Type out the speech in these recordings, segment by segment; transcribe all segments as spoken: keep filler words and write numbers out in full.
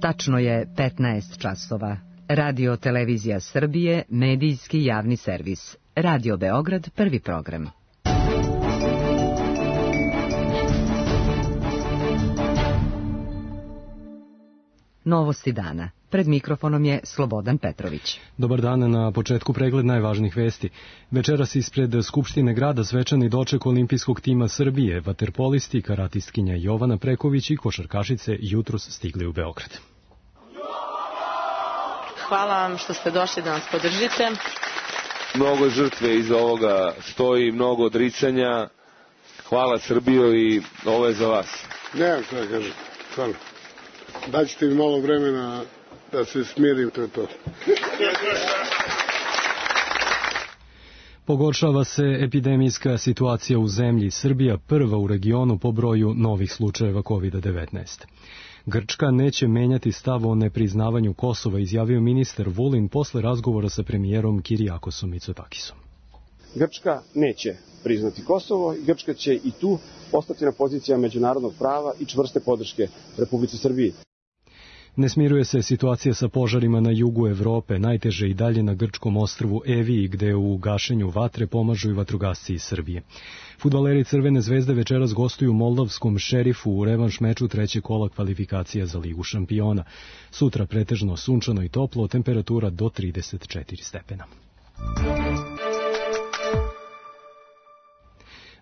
Tačno je petnaest časova. Radio Televizija Srbije, medijski javni servis. Radio Beograd, prvi program. Novosti dana. Pred mikrofonom je Slobodan Petrović. Dobar dan, na početku pregled najvažnijih vesti. Večeras ispred Skupštine grada svečani doček olimpijskog tima Srbije, vaterpolisti, karatistkinja Jovana Preković i košarkašice jutros stigli u Beograd. Hvala vam što ste došli da nas podržite. Mnogo žrtve iza ovoga stoji, mnogo odricanja. Hvala Srbijo i ovo je za vas. Nemam šta da kažem, stvarno. Daćete mi malo vremena da se smirim, to je to. Pogoršava se epidemijska situacija u zemlji. Srbija prva u regionu po broju novih slučajeva kovid devetnaest. Grčka neće menjati stav o nepriznavanju Kosova, izjavio ministar Vulin posle razgovora sa premijerom Kirijakosom Mitsotakisom. Grčka neće priznati Kosovo i Grčka će i tu ostati na pozicijama međunarodnog prava i čvrste podrške Republici Srbiji. Ne smiruje se situacija sa požarima na jugu Evrope, najteže i dalje na grčkom ostrvu Eviji, gde u gašenju vatre pomažu i vatrogasci iz Srbije. Fudbaleri Crvene zvezde večeras gostuju moldavskom Šerifu u revanš meču trećeg kola kvalifikacija za Ligu šampiona. Sutra pretežno sunčano i toplo, temperatura do trideset četiri stepena.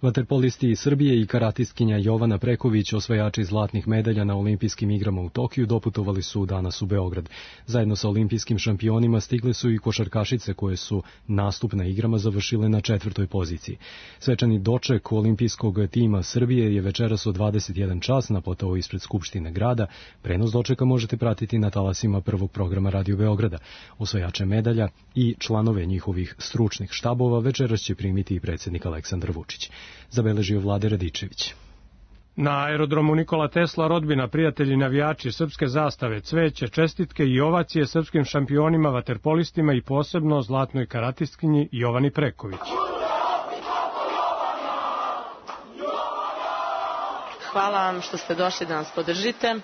Vaterpolisti iz Srbije i karatistkinja Jovana Preković, osvajači zlatnih medalja na olimpijskim igrama u Tokiju, doputovali su danas u Beograd. Zajedno sa olimpijskim šampionima stigle su i košarkašice koje su nastup na igrama završile na četvrtoj poziciji. Svečani doček olimpijskog tima Srbije je večeras od dvadeset jedan čas na platou ispred Skupštine grada. Prenos dočeka možete pratiti na talasima prvog programa Radio Beograda. Osvajače medalja i članove njihovih stručnih štabova večeras će primiti i predsjednik Aleksandar Vučić. Zabeležio Vlade Radičević. Na aerodromu Nikola Tesla rodbina, prijatelji, navijači, srpske zastave, cveće, čestitke i ovacije srpskim šampionima, vaterpolistima i posebno zlatnoj karatistkinji Jovani Preković. Hvala vam što ste došli da nas podržite.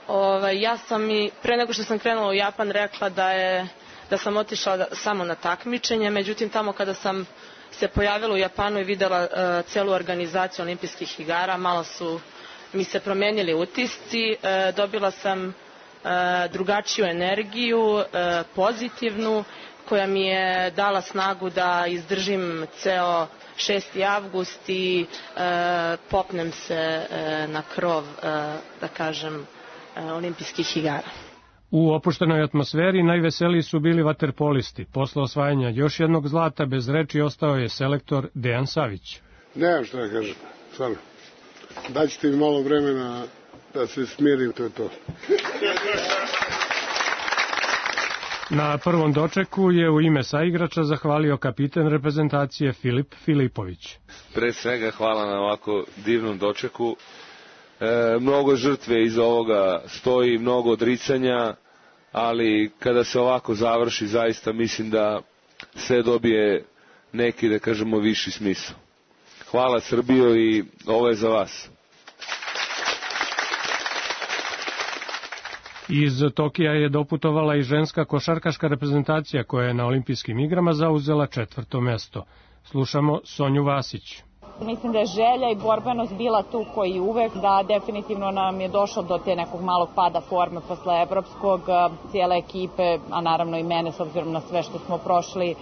Ove, ja sam i pre nego što sam krenula u Japan rekla da, je, da sam otišla da, samo na takmičenje, međutim tamo kada sam se pojavila u Japanu i videla uh, celu organizaciju olimpijskih igara, malo su mi se promenili utisci, uh, dobila sam uh, drugačiju energiju, uh, pozitivnu, koja mi je dala snagu da izdržim ceo šesti avgust i uh, popnem se uh, na krov, uh, da kažem, uh, olimpijskih igara. U opuštenoj atmosferi najveseliji su bili vaterpolisti. Posle osvajanja još jednog zlata bez reči ostao je selektor Dejan Savić. Nemam šta da kažem, stvarno. Daćete mi malo vremena da se smirim, to je to. Na prvom dočeku je u ime saigrača zahvalio kapiten reprezentacije Filip Filipović. Pre svega hvala na ovako divnom dočeku. E, mnogo žrtve iza ovoga stoji, mnogo odricanja, ali kada se ovako završi, zaista mislim da sve dobije neki, da kažemo, viši smisao. Hvala Srbijo i ovo je za vas. Iz Tokija je doputovala i ženska košarkaška reprezentacija koja je na olimpijskim igrama zauzela četvrto mesto. Slušamo Sonju Vasić. Mislim da je želja i borbenost bila tu koji uvek, da definitivno nam je došlo do te nekog malog pada forme posle evropskog, cijele ekipe, a naravno i mene s obzirom na sve što smo prošli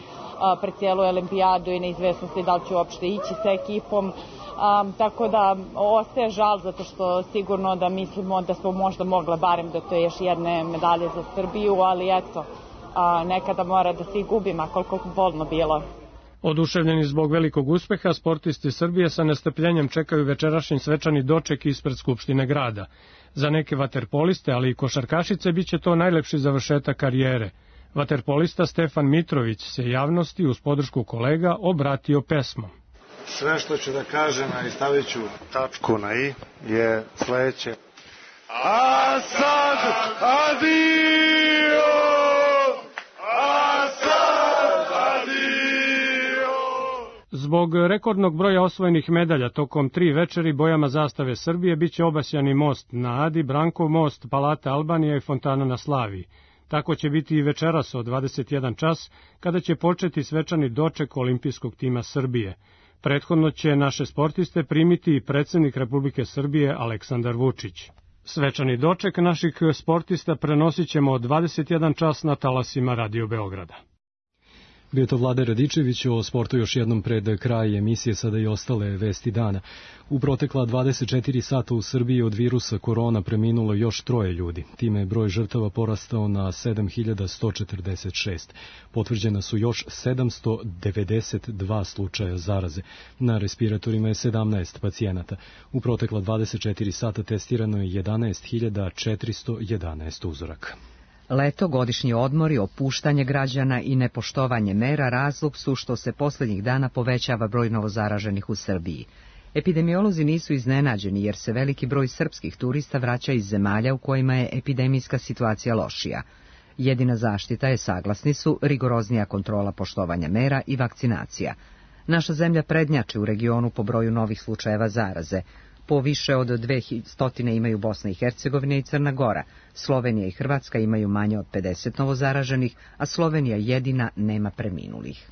pred cijelu olimpijadu i neizvesnosti da li ću uopšte ići sa ekipom. Um, tako da ostaje žal zato što sigurno da mislimo da smo možda mogla barem do to još jedne medalje za Srbiju, ali eto, a, nekada mora da se i gubima koliko bolno bilo. Oduševljeni zbog velikog uspeha, sportisti Srbije sa nestrpljenjem čekaju večerašnji svečani doček ispred Skupštine grada. Za neke vaterpoliste, ali i košarkašice, biće to najlepši završetak karijere. Vaterpolista Stefan Mitrović se javnosti uz podršku kolega obratio pesmom. Sve što ću da kažem, a i stavit ću tačku na i, je sledeće. A sad, adio! Zbog rekordnog broja osvojenih medalja tokom tri večeri bojama zastave Srbije biće obasjani most na Adi, Brankov most, Palata Albanija i fontana na Slaviji. Tako će biti i večeras od dvadeset jedan čas, kada će početi svečani doček olimpijskog tima Srbije. Prethodno će naše sportiste primiti i predsjednik Republike Srbije Aleksandar Vučić. Svečani doček naših sportista prenosit ćemo od dvadeset jedan čas na talasima Radio Beograda. Bio to Vlade Radičević, o sportu još jednom pred kraj emisije, sada i ostale vesti dana. U protekla dvadeset četiri sata u Srbiji od virusa korona preminulo još troje ljudi. Time je broj žrtava porastao na sedam hiljada sto četrdeset šest. Potvrđena su još sedamsto devedeset dva slučaja zaraze. Na respiratorima je sedamnaest pacijenata. U protekla dvadeset četiri sata testirano je jedanaest hiljada četiristo jedanaest uzoraka. Leto, godišnji odmori, opuštanje građana i nepoštovanje mera razlog su što se posljednjih dana povećava broj novozaraženih u Srbiji. Epidemiolozi nisu iznenađeni jer se veliki broj srpskih turista vraća iz zemalja u kojima je epidemijska situacija lošija. Jedina zaštita je, saglasni su, rigoroznija kontrola poštovanja mera i vakcinacija. Naša zemlja prednjači u regionu po broju novih slučajeva zaraze. Po više od dvesta imaju Bosna i Hercegovina i Crna Gora. Slovenija i Hrvatska imaju manje od pedeset novozaraženih, a Slovenija jedina nema preminulih.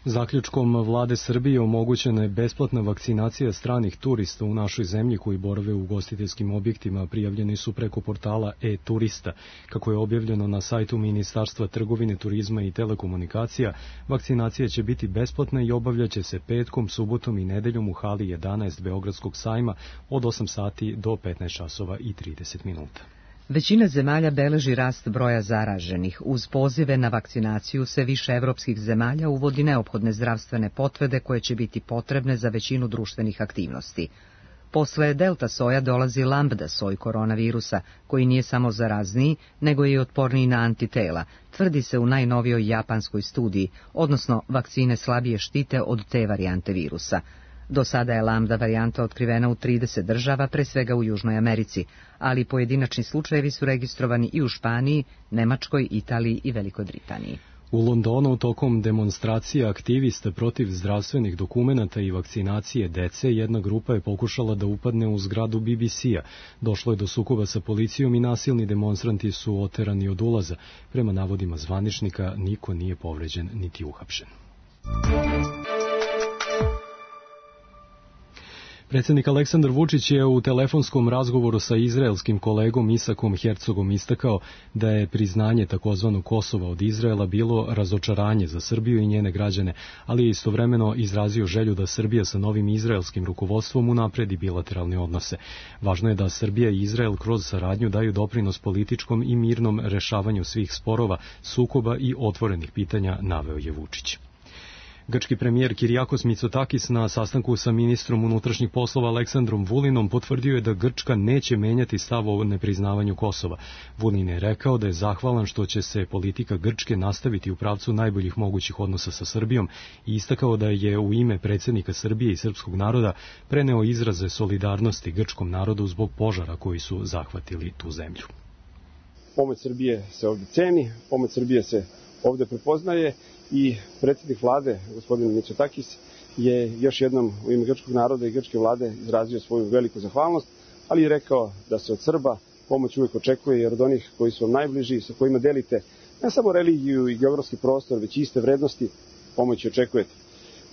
Zaključkom Vlade Srbije omogućena je besplatna vakcinacija stranih turista u našoj zemlji koji borave u ugostiteljskim objektima. Prijavljeni su preko portala e-turista. Kako je objavljeno na sajtu Ministarstva trgovine, turizma i telekomunikacija, vakcinacija će biti besplatna i obavljaće se petkom, subotom i nedeljom u hali jedanaest Beogradskog sajma od osam sati do petnaest časova i trideset minuta. Većina zemalja beleži rast broja zaraženih. Uz pozive na vakcinaciju sve više evropskih zemalja uvodi neophodne zdravstvene potvrde koje će biti potrebne za većinu društvenih aktivnosti. Posle delta soja dolazi lambda soj koronavirusa, koji nije samo zarazniji, nego je i otporniji na antitela, tvrdi se u najnovijoj japanskoj studiji, odnosno vakcine slabije štite od te varijante virusa. Do sada je lambda varijanta otkrivena u trideset država, pre svega u Južnoj Americi, ali pojedinačni slučajevi su registrovani i u Španiji, Nemačkoj, Italiji i Velikoj Britaniji. U Londonu tokom demonstracije aktivista protiv zdravstvenih dokumenata i vakcinacije dece jedna grupa je pokušala da upadne u zgradu B B C-a. Došlo je do sukoba sa policijom i nasilni demonstranti su oterani od ulaza. Prema navodima zvaničnika, niko nije povređen niti uhapšen. Predsjednik Aleksandar Vučić je u telefonskom razgovoru sa izraelskim kolegom Isakom Herzogom istakao da je priznanje takozvanog Kosova od Izraela bilo razočaranje za Srbiju i njene građane, ali je istovremeno izrazio želju da Srbija sa novim izraelskim rukovodstvom unapredi bilateralne odnose. Važno je da Srbija i Izrael kroz saradnju daju doprinos političkom i mirnom rešavanju svih sporova, sukoba i otvorenih pitanja, naveo je Vučić. Grčki premijer Kirijakos Mitsotakis na sastanku sa ministrom unutrašnjih poslova Aleksandrom Vulinom potvrdio je da Grčka neće menjati stav o nepriznavanju Kosova. Vulin je rekao da je zahvalan što će se politika Grčke nastaviti u pravcu najboljih mogućih odnosa sa Srbijom i istakao da je u ime predsjednika Srbije i srpskog naroda preneo izraze solidarnosti grčkom narodu zbog požara koji su zahvatili tu zemlju. Pomoć Srbije se ovdje ceni, pomoć Srbije se ovdje prepoznaje i predsjednik vlade, gospodin Mitsotakis, je još jednom u ime grčkog naroda i grčke vlade izrazio svoju veliku zahvalnost, ali je rekao da se od Srba pomoć uvijek očekuje, jer od onih koji su vam najbliži, sa kojima delite ne samo religiju i geografski prostor, već i iste vrednosti, pomoć očekujete.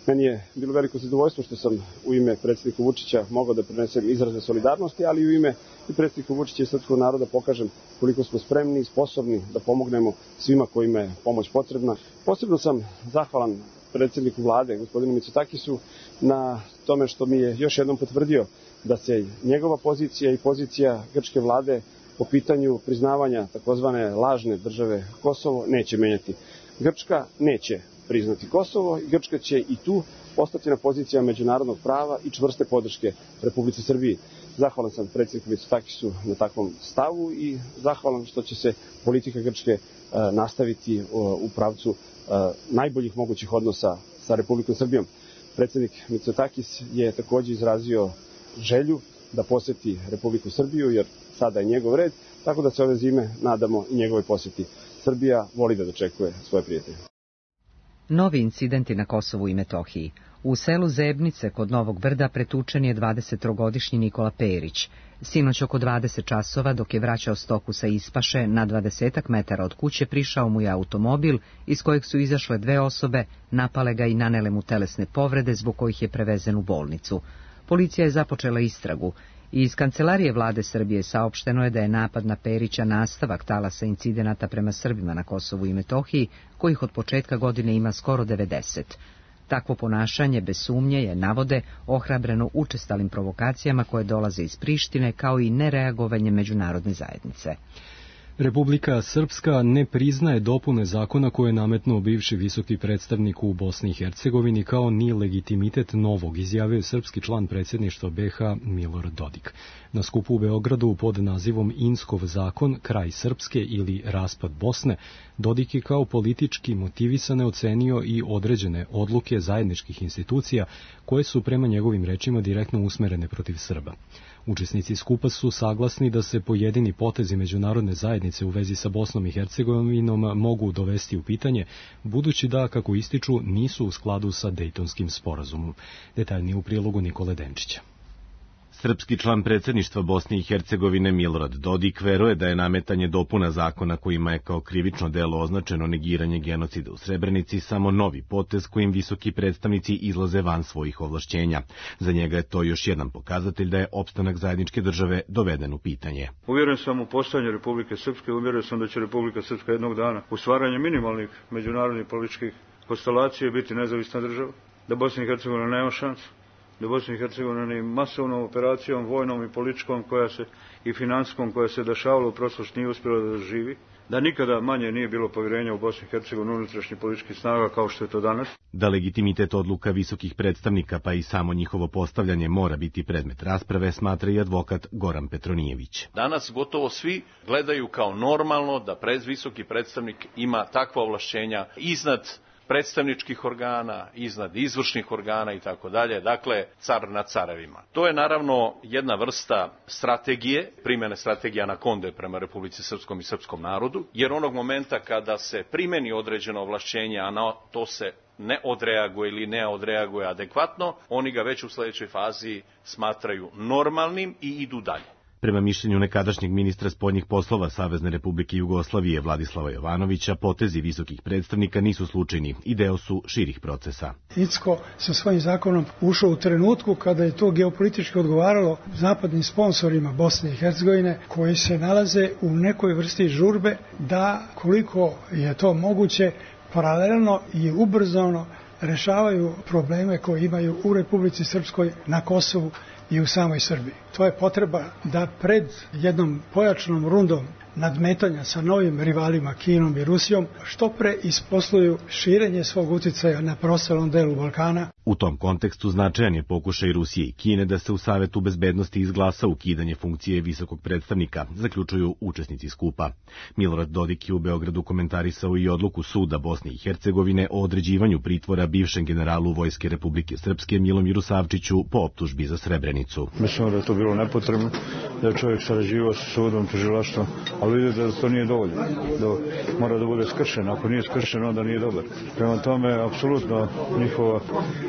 Meni je bilo veliko zadovoljstvo što sam u ime predsjednika Vučića mogao da prenesem izraze solidarnosti, ali u ime i predsjednika Vučića i srpskog naroda pokažem koliko smo spremni i sposobni da pomognemo svima kojima je pomoć potrebna. Posebno sam zahvalan predsjedniku vlade, gospodinu Mitsotakisu, na tome što mi je još jednom potvrdio da se njegova pozicija i pozicija grčke vlade po pitanju priznavanja takozvane lažne države Kosovo neće menjati. Grčka neće priznati Kosovo i Grčka će i tu ostati na pozicijama međunarodnog prava i čvrste podrške Republici Srbiji. Zahvalan sam predsjedniku Mitsotakisu na takvom stavu i zahvalan što će se politika Grčke uh, nastaviti uh, u pravcu uh, najboljih mogućih odnosa sa Republikom Srbijom. Predsjednik Mitsotakis je također izrazio želju da posjeti Republiku Srbiju, jer sada je njegov red, tako da se ove zime nadamo i njegove posjeti. Srbija voli da dočekuje svoje prijatelje. Novi incidenti na Kosovu i Metohiji. U selu Zebnice kod Novog Brda pretučen je dvadesettrogodišnji Nikola Perić. Sinoć oko dvadeset časova, dok je vraćao stoku sa ispaše, na dvadesetak metara od kuće prišao mu je automobil iz kojeg su izašle dve osobe, napale ga i nanele mu telesne povrede zbog kojih je prevezen u bolnicu. Policija je započela istragu. Iz kancelarije vlade Srbije saopšteno je da je napad na Perića nastavak talasa incidenata prema Srbima na Kosovu i Metohiji, kojih od početka godine ima skoro devedeset. Takvo ponašanje, bez sumnje, je, navode, ohrabreno učestalim provokacijama koje dolaze iz Prištine, kao i nereagovanje međunarodne zajednice. Republika Srpska ne priznaje dopune zakona koje je nametnuo bivši visoki predstavnik u Bosni i Hercegovini, kao ni legitimitet novog, izjavio je srpski član predsjedništva be ha Milorad Dodik. Na skupu u Beogradu pod nazivom Inskov zakon, kraj Srpske ili raspad Bosne, Dodik je kao politički motivisane ocenio i određene odluke zajedničkih institucija koje su prema njegovim rečima direktno usmerene protiv Srba. Učesnici skupa su saglasni da se pojedini potezi međunarodne zajednice u vezi sa Bosnom i Hercegovinom mogu dovesti u pitanje, budući da, kako ističu, nisu u skladu sa Dejtonskim sporazumom. Detaljnije u prilogu Nikole Denčića. Srpski član predsjedništva Bosne i Hercegovine Milorad Dodik veruje da je nametanje dopuna zakona kojima je kao krivično delo označeno negiranje genocida u Srebrenici samo novi potez kojim visoki predstavnici izlaze van svojih ovlašćenja. Za njega je to još jedan pokazatelj da je opstanak zajedničke države doveden u pitanje. Uvjeren sam u postojanje Republike Srpske, uvjeren sam da će Republika Srpska jednog dana u stvaranju minimalnih međunarodnih političkih konstelacija biti nezavisna država, da Bosna i Hercegovina nema šansu, da Bosna i Hercegovina ni masovnom operacijom, vojnom i političkom koja se, i finanskom koja se dešavala u prošlosti nije uspjela da živi, da nikada manje nije bilo povjerenja u Bosni i Hercegovini unutrašnjih političkih snaga kao što je to danas. Da legitimitet odluka visokih predstavnika pa i samo njihovo postavljanje mora biti predmet rasprave, smatra i advokat Goran Petronijević. Danas gotovo svi gledaju kao normalno da pred visoki predstavnik ima takva ovlašćenja iznad predstavničkih organa, iznad izvršnih organa i tako dalje, dakle car nad carevima. To je naravno jedna vrsta strategije, primjene strategija anakonde prema Republici Srpskom i srpskom narodu, jer onog momenta kada se primeni određeno ovlašćenje, a na to se ne odreaguje ili ne odreaguje adekvatno, oni ga već u sljedećoj fazi smatraju normalnim i idu dalje. Prema mišljenju nekadašnjeg ministra spoljnih poslova Savezne Republike Jugoslavije Vladislava Jovanovića, potezi visokih predstavnika nisu slučajni i deo su širih procesa. Icko sa svojim zakonom ušao u trenutku kada je to geopolitički odgovaralo zapadnim sponsorima Bosne i Hercegovine, koji se nalaze u nekoj vrsti žurbe da, koliko je to moguće, paralelno i ubrzano rešavaju probleme koje imaju u Republici Srpskoj, na Kosovu i u samoj Srbiji. To je potreba da pred jednom pojačanom rundom nadmetanja sa novim rivalima Kinom i Rusijom što pre isposluju širenje svog utjecaja na preostalom delu Balkana. U tom kontekstu značajan je pokušaj Rusije i Kine da se u Savetu bezbednosti izglasa ukidanje funkcije visokog predstavnika, zaključuju učesnici skupa. Milorad Dodik je u Beogradu komentarisao i odluku suda Bosne i Hercegovine o određivanju pritvora bivšem generalu Vojske Republike Srpske Milomiru Savčiću po optužbi za Srebrenicu. Mislim da je to bilo nepotrebno, da je čovjek sarađivao sa sudom, tužilaštvom, ali vidite da to nije dovoljno, da mora da bude skršen, ako nije skršen onda nije dobar. Prema tome, apsolutno njihova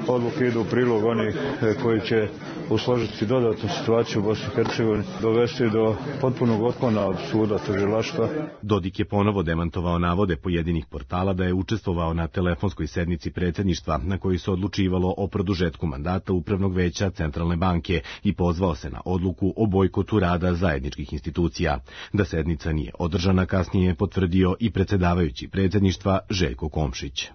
odluka ide u prilog onih koji će usložiti dodatnu situaciju u Bosni i Hercegovini, dovesti do potpunog otklona od suda, tužilaštva. Dodik je ponovo demantovao navode pojedinih portala da je učestvovao na telefonskoj sednici predsjedništva na kojoj se odlučivalo o produžetku mandata Upravnog veća Centralne banke i pozvao se na odluku o bojkotu rada zajedničkih institucija. Da sednica nije održana, kasnije je potvrdio i predsjedavajući predsjedništva Željko Komšić.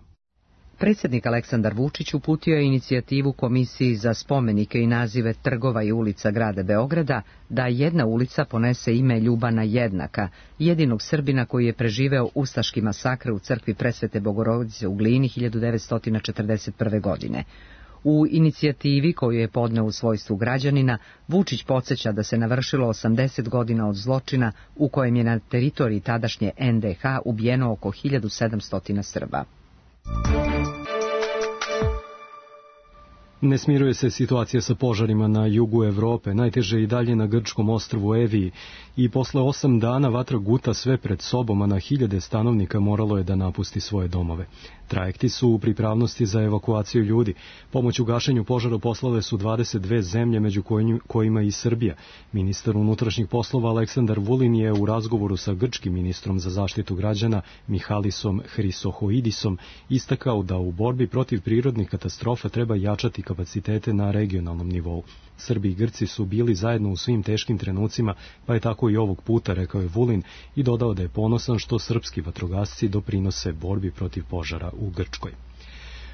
Predsjednik Aleksandar Vučić uputio je inicijativu Komisiji za spomenike i nazive trgova i ulica grada Beograda da jedna ulica ponese ime Ljubana Jednaka, jedinog Srbina koji je preživeo ustaški masakr u crkvi Presvete Bogorodice u Glini hiljadu devetsto četrdeset prve. godine. U inicijativi koju je podneo u svojstvu građanina, Vučić podsjeća da se navršilo osamdeset godina od zločina u kojem je na teritoriji tadašnje en de ha ubijeno oko hiljadu sedamsto Srba. Ne smiruje se situacija sa požarima na jugu Evrope, najteže i dalje na grčkom ostrvu Eviji, i posle osam dana vatra guta sve pred sobom, a na hiljade stanovnika moralo je da napusti svoje domove. Trajekti su u pripravnosti za evakuaciju ljudi. Pomoć u gašenju požara poslale su dvadeset dve zemlje, među kojima i Srbija. Ministar unutrašnjih poslova Aleksandar Vulin je u razgovoru sa grčkim ministrom za zaštitu građana Mihalisom Hrisohoidisom istakao da u borbi protiv prirodnih katastrofa treba jačati kapacitete na regionalnom nivou. Srbi i Grci su bili zajedno u svim teškim trenucima, pa je tako i ovog puta, rekao je Vulin, i dodao da je ponosan što srpski vatrogasci doprinose borbi protiv požara u Grčkoj.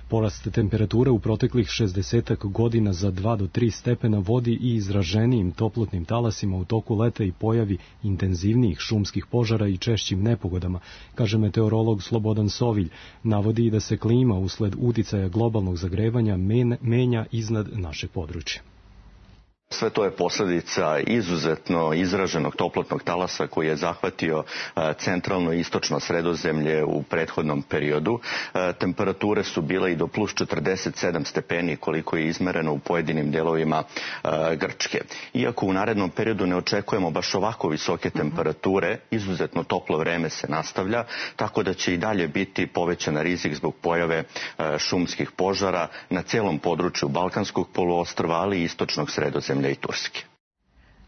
Porast temperature u proteklih šezdesetak godina za dva do tri stepena vodi i izraženijim toplotnim talasima u toku leta i pojavi intenzivnijih šumskih požara i češćim nepogodama, kaže meteorolog Slobodan Sovilj. Navodi i da se klima usled uticaja globalnog zagrevanja menja iznad našeg područja. Sve to je posljedica izuzetno izraženog toplotnog talasa koji je zahvatio centralno i istočno Sredozemlje u prethodnom periodu. Temperature su bile i do plus četrdeset sedam stepeni koliko je izmereno u pojedinim delovima Grčke. Iako u narednom periodu ne očekujemo baš ovako visoke temperature, izuzetno toplo vreme se nastavlja, tako da će i dalje biti povećan rizik zbog pojave šumskih požara na celom području Balkanskog poluostrva, ali i istočnog Sredozemlja i Turske.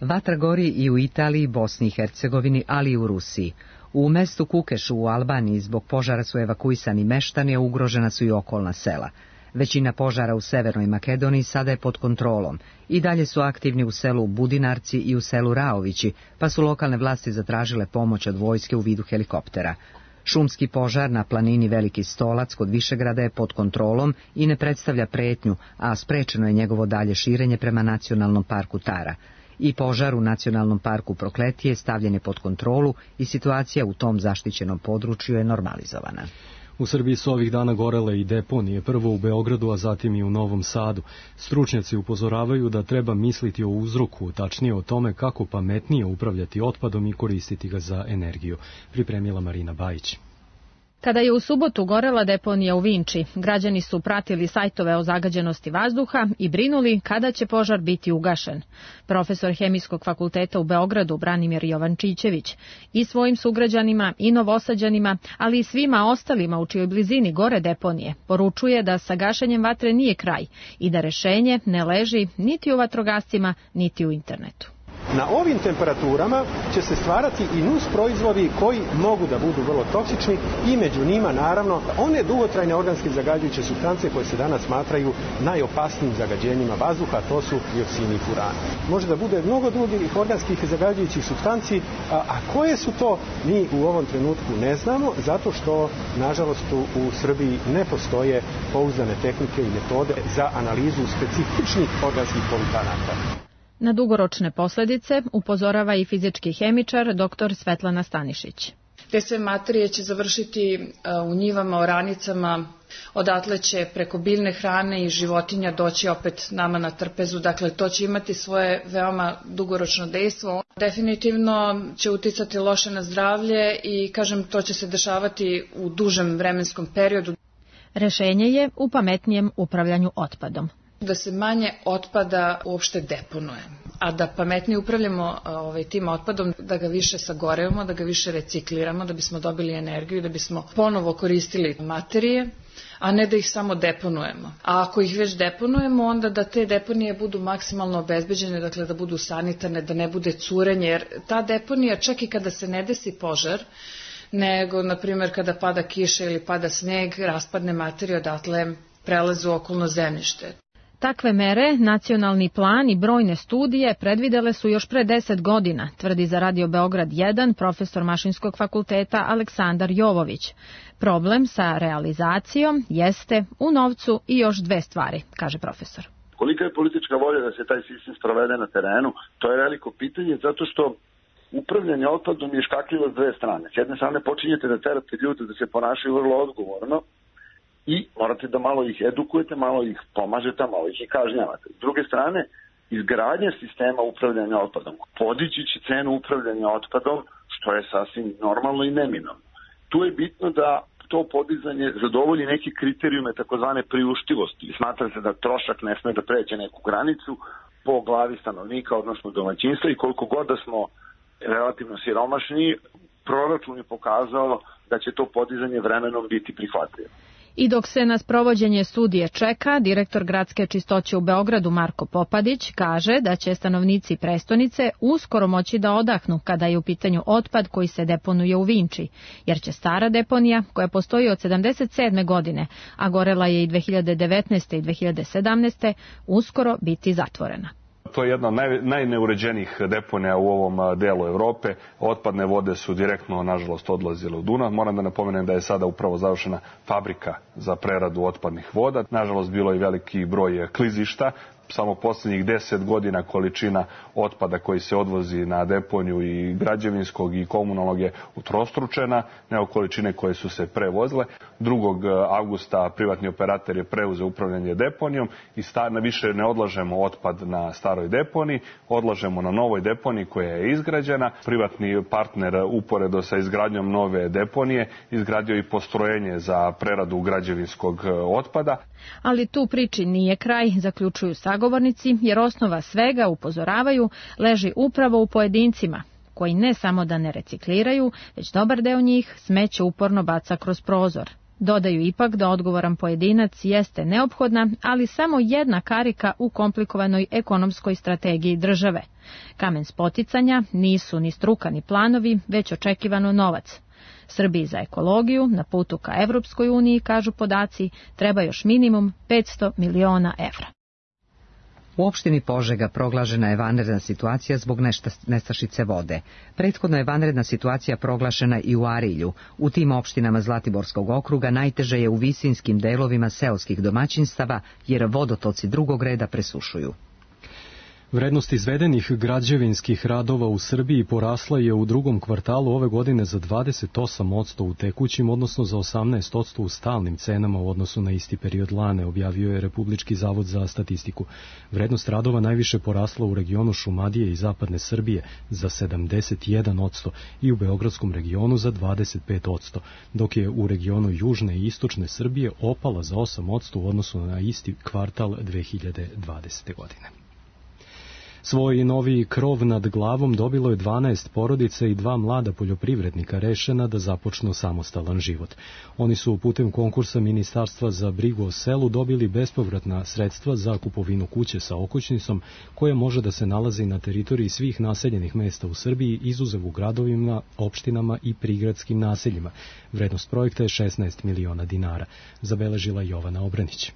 Vatra gori i u Italiji, Bosni i Hercegovini, ali i u Rusiji. U mestu Kukešu u Albaniji zbog požara su evakuisani meštani, a ugrožena su i okolna sela. Većina požara u Severnoj Makedoniji sada je pod kontrolom. I dalje su aktivni u selu Budinarci i u selu Raovići, pa su lokalne vlasti zatražile pomoć od vojske u vidu helikoptera. Šumski požar na planini Veliki Stolac kod Višegrada je pod kontrolom i ne predstavlja pretnju, a sprečeno je njegovo dalje širenje prema nacionalnom parku Tara. I požar u nacionalnom parku Prokletije stavljen je pod kontrolu i situacija u tom zaštićenom području je normalizovana. U Srbiji su ovih dana gorele i deponije, prvo u Beogradu, a zatim i u Novom Sadu. Stručnjaci upozoravaju da treba misliti o uzroku, tačnije o tome kako pametnije upravljati otpadom i koristiti ga za energiju. Pripremila Marina Bajić. Kada je u subotu gorela deponija u Vinči, građani su pratili sajtove o zagađenosti vazduha i brinuli kada će požar biti ugašen. Profesor Hemijskog fakulteta u Beogradu Branimir Jovančićević i svojim sugrađanima i Novosađanima, ali i svima ostalima u čijoj blizini gore deponije, poručuje da sa gašenjem vatre nije kraj i da rešenje ne leži niti u vatrogascima, niti u internetu. Na ovim temperaturama će se stvarati i nus proizvodi koji mogu da budu vrlo toksični i među njima naravno one dugotrajne organske zagađujuće supstance koje se danas smatraju najopasnijim zagađenjima vazduha, to su dioksini i furani. Može da bude mnogo drugih organskih zagađujućih supstanci, a, a koje su to mi u ovom trenutku ne znamo, zato što nažalost u Srbiji ne postoje pouzdane tehnike i metode za analizu specifičnih organskih polutanata. Na dugoročne posljedice upozorava i fizički hemičar dr. Svetlana Stanišić. Te sve materije će završiti u njivama, oranicama, odatle će preko biljne hrane i životinja doći opet nama na trpezu, dakle to će imati svoje veoma dugoročno dejstvo. Definitivno će uticati loše na zdravlje i kažem to će se dešavati u dužem vremenskom periodu. Rešenje je u pametnijem upravljanju otpadom. Da se manje otpada uopšte deponuje, a da pametnije upravljamo ovaj, tim otpadom, da ga više sagorevamo, da ga više recikliramo, da bismo dobili energiju, da bismo ponovo koristili materije, a ne da ih samo deponujemo. A ako ih već deponujemo, onda da te deponije budu maksimalno obezbeđene, dakle da budu sanitarne, da ne bude curenje, jer ta deponija čak i kada se ne desi požar, nego, na primjer, kada pada kiša ili pada sneg, raspadne materije odatle prelaze u okolno zemljište. Takve mere, nacionalni plan i brojne studije predvidele su još pre deset godina, tvrdi za Radio Beograd jedan profesor Mašinskog fakulteta Aleksandar Jovović. Problem sa realizacijom jeste u novcu i još dve stvari, kaže profesor. Kolika je politička volja da se taj sistem sprovede na terenu, to je veliko pitanje, zato što upravljanje otpadom je škakljivo s dve strane. S jedne strane počinjete da terate ljude da se ponašaju vrlo odgovorno, i morate da malo ih edukujete, malo ih pomažete, malo ih i kažnjavate. S druge strane, izgradnja sistema upravljanja otpadom podići će cenu upravljanja otpadom, što je sasvim normalno i neminovno. Tu je bitno da to to podizanje zadovolji neke kriterijume takozvane priuštivosti. Smatra se da trošak ne sme da pređe neku granicu po glavi stanovnika, odnosno domaćinstva, i koliko god da smo relativno siromašni, proračun je pokazao da će to podizanje vremenom biti prihvatljivo. I dok se na sprovođenje studije čeka, direktor gradske čistoće u Beogradu Marko Popadić kaže da će stanovnici prestonice uskoro moći da odahnu kada je u pitanju otpad koji se deponuje u Vinči, jer će stara deponija, koja postoji od sedamdeset sedme godine, a gorela je i dve hiljade devetnaeste i dve hiljade sedamnaeste, uskoro biti zatvorena. To je jedna od naj, najneuređenijih deponija u ovom delu Evrope. Otpadne vode su direktno, nažalost, odlazile u Dunav. Moram da napomenem da je sada upravo završena fabrika za preradu otpadnih voda. Nažalost, bilo je veliki broj klizišta. Samo poslednjih deset godina količina otpada koji se odvozi na deponiju i građevinskog i komunalnog je utrostručena, nego količine koje su se prevozile. drugog avgusta privatni operator je preuzeo upravljanje deponijom i na više ne odlažemo otpad na staroj deponiji, odlažemo na novoj deponiji koja je izgrađena. Privatni partner uporedo sa izgradnjom nove deponije izgradio i postrojenje za preradu građevinskog otpada. Ali tu priči nije kraj, zaključuju sagovornici, jer osnova svega, upozoravaju, leži upravo u pojedincima, koji ne samo da ne recikliraju, već dobar deo njih smeće uporno baca kroz prozor. Dodaju ipak da odgovoran pojedinac jeste neophodna, ali samo jedna karika u komplikovanoj ekonomskoj strategiji države. Kamen spoticanja nisu ni struka ni planovi, već očekivano novac. Srbiji za ekologiju na putu ka Evropskoj uniji, kažu podaci, treba još minimum petsto miliona evra. U opštini Požega proglašena je vanredna situacija zbog nestašice vode. Prethodno je vanredna situacija proglašena i u Arilju. U tim opštinama Zlatiborskog okruga najteže je u visinskim delovima seoskih domaćinstava, jer vodotoci drugog reda presušuju. Vrednost izvedenih građevinskih radova u Srbiji porasla je u drugom kvartalu ove godine za dvadeset osam posto u tekućim, odnosno za osamnaest posto u stalnim cenama u odnosu na isti period lane, objavio je Republički zavod za statistiku. Vrednost radova najviše porasla u regionu Šumadije i zapadne Srbije za sedamdeset jedan posto i u beogradskom regionu za dvadeset pet posto, dok je u regionu južne i istočne Srbije opala za osam posto u odnosu na isti kvartal dve hiljade dvadesete. godine. Svoj novi krov nad glavom dobilo je dvanaest porodica i dva mlada poljoprivrednika rešena da započnu samostalan život. Oni su putem konkursa Ministarstva za brigu o selu dobili bespovratna sredstva za kupovinu kuće sa okućnicom koja može da se nalazi na teritoriji svih naseljenih mesta u Srbiji, izuzev u gradovima, opštinama i prigradskim naseljima. Vrednost projekta je šesnaest miliona dinara, zabeležila Jovana Obranić.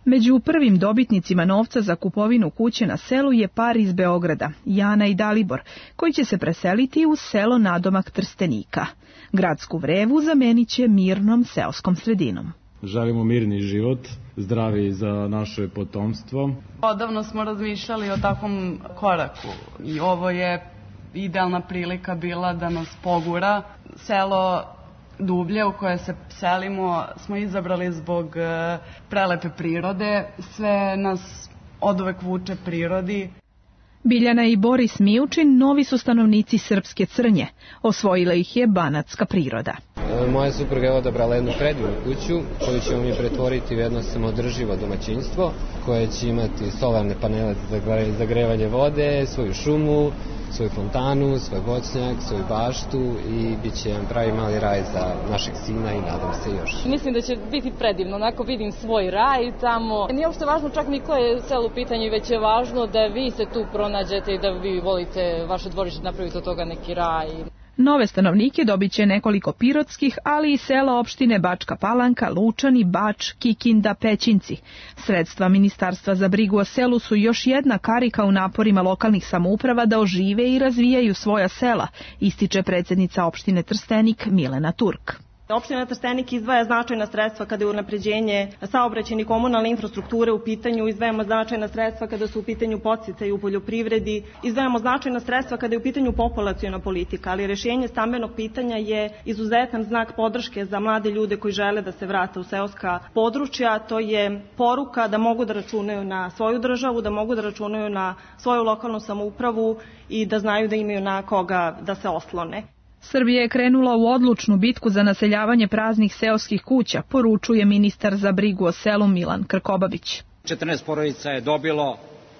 Među prvim dobitnicima novca za kupovinu kuće na selu je par iz Beograda, Jana i Dalibor, koji će se preseliti u selo nadomak Trstenika. Gradsku vrevu zamenit će mirnom seoskom sredinom. Želimo mirni život, zdravi za naše potomstvo. Odavno smo razmišljali o takvom koraku i ovo je idealna prilika bila da nas pogura. Selo Dublje u koje se selimo smo izabrali zbog prelepe prirode, sve nas oduvek vuče prirodi. Biljana i Boris Mijučin novi su stanovnici Srpske Crnje, osvojila ih je banatska priroda. Moja supruga je odabrala jednu predivnu kuću koju ćemo mi pretvoriti u jedno samoodrživo domaćinstvo koje će imati solarne panele za zagrevanje vode, svoju šumu, svoju fontanu, svoj voćnjak, svoju baštu i bit će jedan pravi mali raj za našeg sina i nadam se još. Mislim da će biti predivno, onako vidim svoj raj tamo. Nije uopšte važno čak ni koje je selo u pitanju, već je važno da vi se tu pronađete i da vi volite vaše dvorište napraviti od toga neki raj. Nove stanovnike dobit će nekoliko pirotskih, ali i sela opštine Bačka Palanka, Lučani, Bač, Kikinda, Pećinci. Sredstva Ministarstva za brigu o selu su još jedna karika u naporima lokalnih samouprava da ožive i razvijaju svoja sela, ističe predsjednica opštine Trstenik Milena Turk. Opština Trstenik izdvaja značajna sredstva kada je unapređenje saobraćajne i komunalne infrastrukture u pitanju, izdvajamo značajna sredstva kada su u pitanju podsticaji u poljoprivredi, izdvajamo značajna sredstva kada je u pitanju populaciona politika, ali rešenje stambenog pitanja je izuzetan znak podrške za mlade ljude koji žele da se vrate u seoska područja. To je poruka da mogu da računaju na svoju državu, da mogu da računaju na svoju lokalnu samoupravu i da znaju da imaju na koga da se oslone. Srbija je krenula u odlučnu bitku za naseljavanje praznih seoskih kuća, poručuje ministar za brigu o selu Milan Krkobabić. četrnaest porodica je dobilo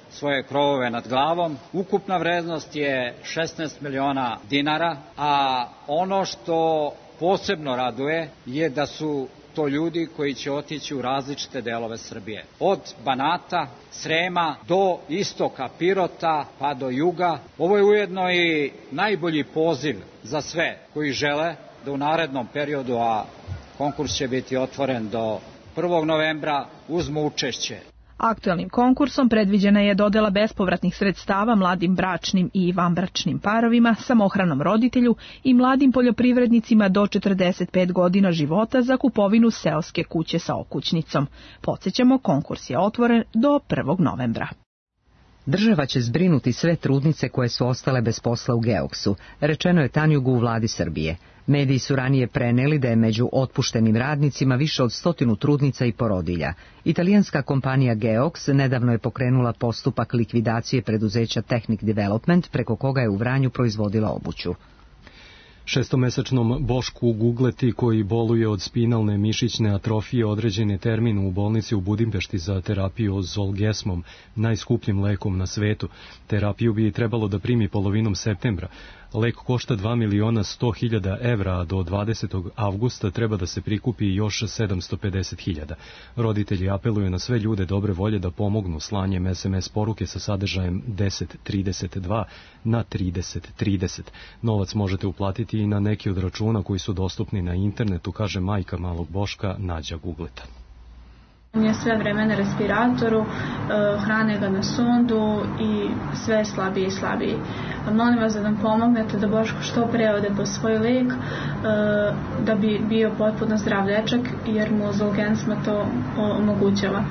svoje krovove nad glavom. Ukupna vrednost je šesnaest miliona dinara, a ono što posebno raduje je da su to ljudi koji će otići u različite delove Srbije. Od Banata, Srema do istoka Pirota pa do juga. Ovo je ujedno i najbolji poziv za sve koji žele da u narednom periodu, a konkurs će biti otvoren do prvog novembra, uzmu učešće. Aktuelnim konkursom predviđena je dodela bespovratnih sredstava mladim bračnim i vanbračnim parovima, samohranom roditelju i mladim poljoprivrednicima do četrdeset pet godina života za kupovinu seoske kuće sa okućnicom. Podsjećamo, konkurs je otvoren do prvog novembra. Država će zbrinuti sve trudnice koje su ostale bez posla u Geoksu, rečeno je Tanjugu u vladi Srbije. Mediji su ranije preneli da je među otpuštenim radnicima više od stotinu trudnica i porodilja. Italijanska kompanija Geox nedavno je pokrenula postupak likvidacije preduzeća Technic Development, preko koga je u Vranju proizvodila obuću. Šestomesečnom Bošku Gugleti, koji boluje od spinalne mišićne atrofije, određen je termin u bolnici u Budimpešti za terapiju Zolgesmom, najskupljim lekom na svetu. Terapiju bi trebalo da primi polovinom septembra. Lek košta dva miliona sto hiljada evra, a do dvadesetog avgusta treba da se prikupi još sedamsto pedeset hiljada. Roditelji apeluju na sve ljude dobre volje da pomognu slanjem es em es poruke sa sadržajem deset trideset dva na trideset trideset. Novac možete uplatiti i na neki od računa koji su dostupni na internetu, kaže majka malog Boška Nađa Gugleta. On je sve vreme na respiratoru, hrane ga na sondu i sve slabiji i slabiji. Molim vas da nam pomognete da Boško što pre ode po svoj lek, da bi bio potpuno zdrav dečak, jer mu Zolgensma to omogućava.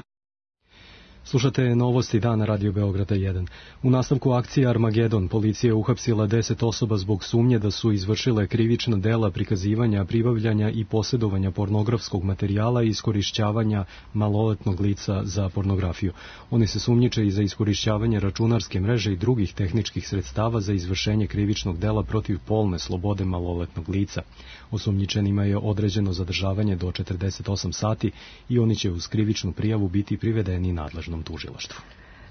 Slušate novosti dana Radio Beograda jedan. U nastavku akcije Armagedon policija je uhapsila deset osoba zbog sumnje da su izvršile krivična dela prikazivanja, pribavljanja i posjedovanja pornografskog materijala i iskorišćavanja maloletnog lica za pornografiju. Oni se sumnjiče i za iskorišćavanje računarske mreže i drugih tehničkih sredstava za izvršenje krivičnog dela protiv polne slobode maloletnog lica. Osumnjičenima je određeno zadržavanje do četrdeset osam sati i oni će uz krivičnu prijavu biti privedeni nadležnom tužilaštvu.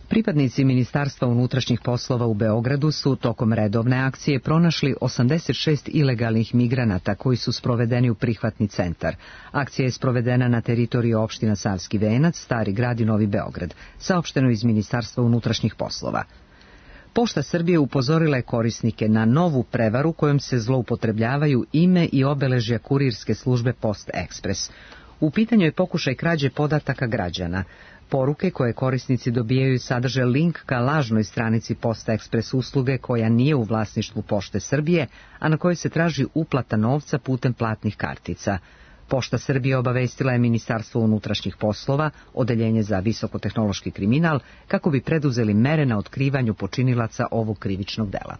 Pripadnici Ministarstva unutrašnjih poslova u Beogradu su tokom redovne akcije pronašli osamdeset šest ilegalnih migranata koji su sprovedeni u prihvatni centar. Akcija je sprovedena na teritoriji opština Savski Venac, Stari Grad i Novi Beograd, saopšteno iz Ministarstva unutrašnjih poslova. Pošta Srbije upozorila je korisnike na novu prevaru kojom se zloupotrebljavaju ime i obeležja kurirske službe Post Ekspres. U pitanju je pokušaj krađe podataka građana. Poruke koje korisnici dobijaju sadrže link ka lažnoj stranici Post Ekspres usluge koja nije u vlasništvu Pošte Srbije, a na kojoj se traži uplata novca putem platnih kartica. Pošta Srbije obavestila je Ministarstvo unutrašnjih poslova, Odeljenje za visokotehnološki kriminal, kako bi preduzeli mere na otkrivanju počinilaca ovog krivičnog dela.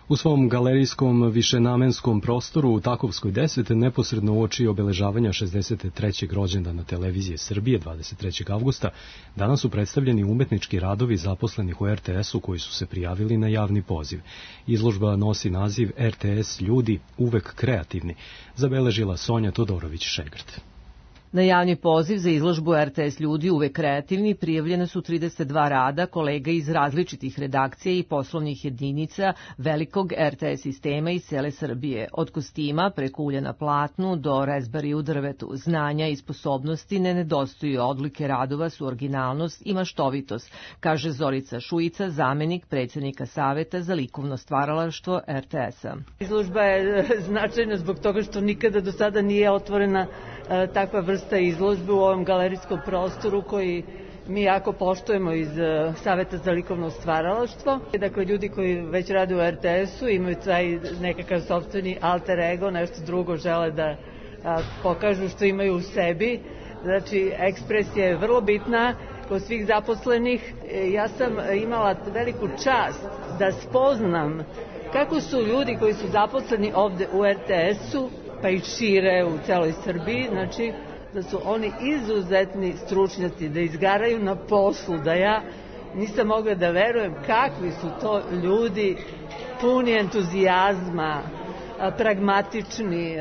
U svom galerijskom višenamenskom prostoru u Takovskoj deset, neposredno uoči obeležavanja šezdeset trećeg rođendana Televizije Srbije dvadeset trećeg avgusta, danas su predstavljeni umetnički radovi zaposlenih u er te esu koji su se prijavili na javni poziv. Izložba nosi naziv er te es ljudi uvek kreativni, zabeležila Sonja Todorović-Šegrt. Na javni poziv za izložbu er te es ljudi uvek kreativni prijavljene su trideset dva rada kolega iz različitih redakcija i poslovnih jedinica velikog er te es sistema iz cele Srbije. Od kostima preko ulja na platnu do rezbari u drvetu. Znanja i sposobnosti ne nedostaju, odlike radova su originalnost i maštovitost, kaže Zorica Šujica, zamenik predsjednika Saveta za likovno stvaralaštvo er te esa. Izložba je značajna zbog toga što nikada do sada nije otvorena takva vrsta izložbe u ovom galerijskom prostoru koji mi jako poštujemo iz Saveta za likovno stvaralaštvo. Dakle, ljudi koji već rade u er te esu imaju taj nekakav sopstveni alter ego, nešto drugo žele da pokažu što imaju u sebi. Znači, ekspresija je vrlo bitna kod svih zaposlenih. Ja sam imala veliku čast da spoznam kako su ljudi koji su zaposleni ovde u er te esu pa i šire u celoj Srbiji, znači da su oni izuzetni stručnjaci, da izgaraju na poslu, da ja nisam mogla da verujem kakvi su to ljudi, puni entuzijazma, pragmatični.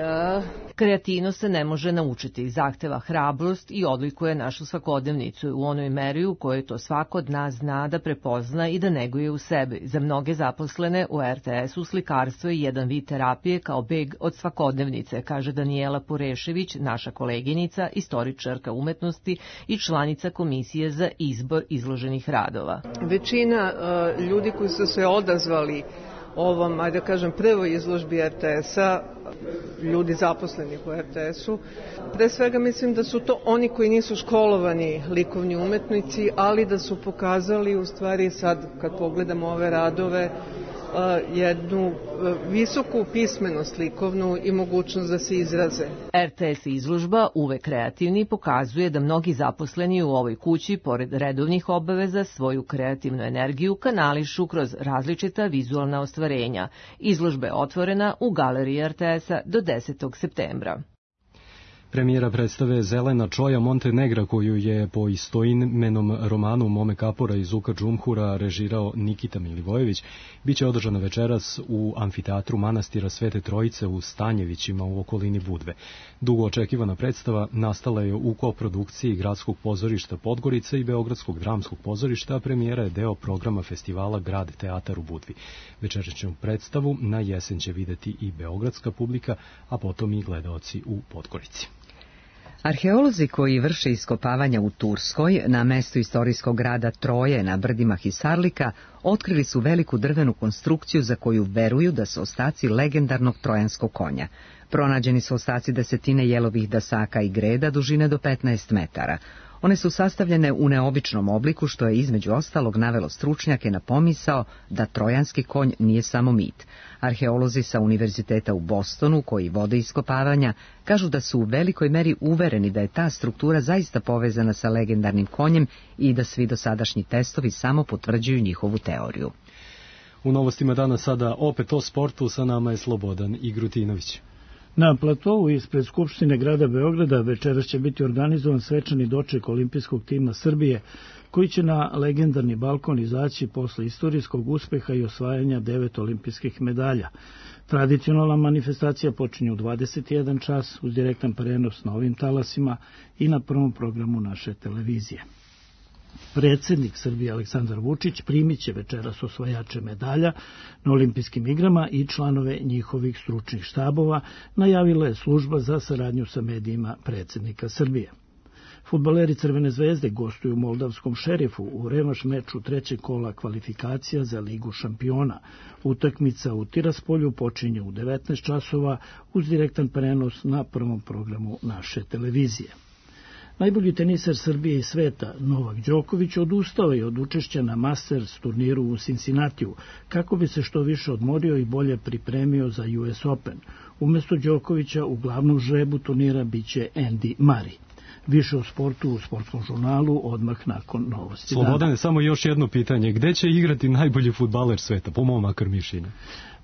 Kreativnost se ne može naučiti, zahteva hrabrost i odlikuje našu svakodnevnicu u onoj meri u kojoj to svako od nas zna da prepozna i da neguje u sebi. Za mnoge zaposlene u er te esu slikarstvo je jedan vid terapije kao beg od svakodnevnice, kaže Danijela Purešević, naša koleginica, istoričarka umetnosti i članica Komisije za izbor izloženih radova. Većina uh, ljudi koji su se odazvali ovom, ajde da kažem, prvoj izložbi er te esa, ljudi zaposleni u er te esu. Pre svega mislim da su to oni koji nisu školovani likovni umetnici, ali da su pokazali u stvari sad kad pogledamo ove radove jednu visoku pismenost likovnu i mogućnost da se izraze. er te es izložba, uvek kreativni, pokazuje da mnogi zaposleni u ovoj kući, pored redovnih obaveza, svoju kreativnu energiju kanališu kroz različita vizualna ostvarenja. Izložba je otvorena u galeriji er te esa do desetog septembra. Premijera predstave Zelena Čoja Montenegra, koju je po istoimenom romanu Mome Kapora iz Uka Džumhura režirao Nikita Milivojević, biće održana večeras u amfiteatru manastira Svete Trojice u Stanjevićima u okolini Budve. Dugo očekivana predstava nastala je u koprodukciji Gradskog pozorišta Podgorica i Beogradskog dramskog pozorišta, a premijera je deo programa festivala Grad teatar u Budvi. Večerašnju predstavu na jesen će videti i beogradska publika, a potom i gledaoci u Podgorici. Arheolozi koji vrše iskopavanja u Turskoj, na mestu istorijskog grada Troje na brdima Hisarlika, otkrili su veliku drvenu konstrukciju za koju veruju da su ostaci legendarnog trojanskog konja. Pronađeni su ostaci desetine jelovih dasaka i greda dužine do petnaest metara. One su sastavljene u neobičnom obliku, što je između ostalog navelo stručnjake na pomisao da trojanski konj nije samo mit. Arheolozi sa Univerziteta u Bostonu, koji vode iskopavanja, kažu da su u velikoj meri uvereni da je ta struktura zaista povezana sa legendarnim konjem i da svi dosadašnji testovi samo potvrđuju njihovu teoriju. U novostima dana sada opet o sportu, sa nama je Slobodan Igrutinović. Na platovu ispred Skupštine grada Beograda večeras će biti organizovan svečani doček olimpijskog tima Srbije, koji će na legendarni balkon izaći posle istorijskog uspeha i osvajanja devet olimpijskih medalja. Tradicionalna manifestacija počinje u dvadeset jedan čas uz direktan prenos na ovim talasima i na prvom programu naše televizije. Predsjednik Srbije Aleksandar Vučić primit će večeras osvajače medalja na olimpijskim igrama i članove njihovih stručnih štabova, najavila je služba za saradnju sa medijima predsjednika Srbije. Fudbaleri Crvene zvezde gostuju u moldavskom Šerifu u revanš meču trećeg kola kvalifikacija za Ligu šampiona. Utakmica u Tiraspolju počinje u devetnaest časova uz direktan prenos na prvom programu naše televizije. Najbolji teniser Srbije i sveta, Novak Đoković, odustao je od učešća na Masters turniru u Cincinnatiju, kako bi se što više odmorio i bolje pripremio za U S Open. Umjesto Đokovića u glavnom žrebu turnira biće Andy Murray. Više o sportu u sportskom žurnalu odmah nakon novosti. Slobodane, samo još jedno pitanje. Gde će igrati najbolji fudbaler sveta, po mom makar mišljenju?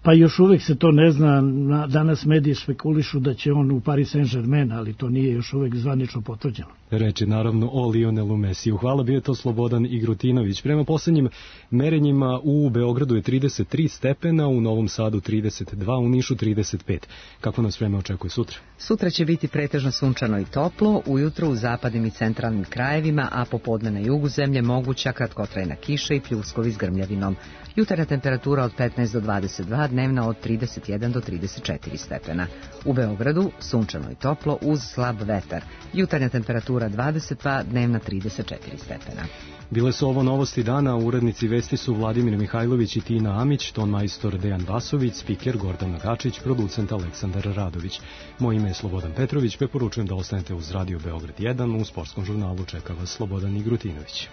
Pa još uvek se to ne zna, danas mediji spekulišu da će on u Paris Saint-Germain, ali to nije još uvek zvanično potvrđeno. Reči naravno o Lionelu Mesiju. Hvala, bio je to Slobodan Igrutinović. Prema posljednjim merenjima u Beogradu je trideset tri stepena, u Novom Sadu trideset dva, u Nišu trideset pet. Kako nas vreme očekuje sutra? Sutra će biti pretežno sunčano i toplo, ujutro u zapadnim i centralnim krajevima, a popodne na jugu zemlje moguća kratkotrajna kiša i pljuskovi s grmljavinom. Jutarnja temperatura od petnaest do dvadeset dva, dnevna od trideset jedan do trideset četiri stepena. U Beogradu sunčano i toplo uz slab vetar. Jutarnja temperatura dvadeset dva, dnevna trideset četiri stepena. Bile su ovo novosti dana, urednici vesti su Vladimir Mihajlović i Tina Amić, ton majstor Dejan Vasović, spiker Gordan Nagačić, producent Aleksandar Radović. Moje ime je Slobodan Petrović, preporučujem da ostanete uz Radio Beograd jedan, u sportskom žurnalu čeka vas Slobodan Igrutinović.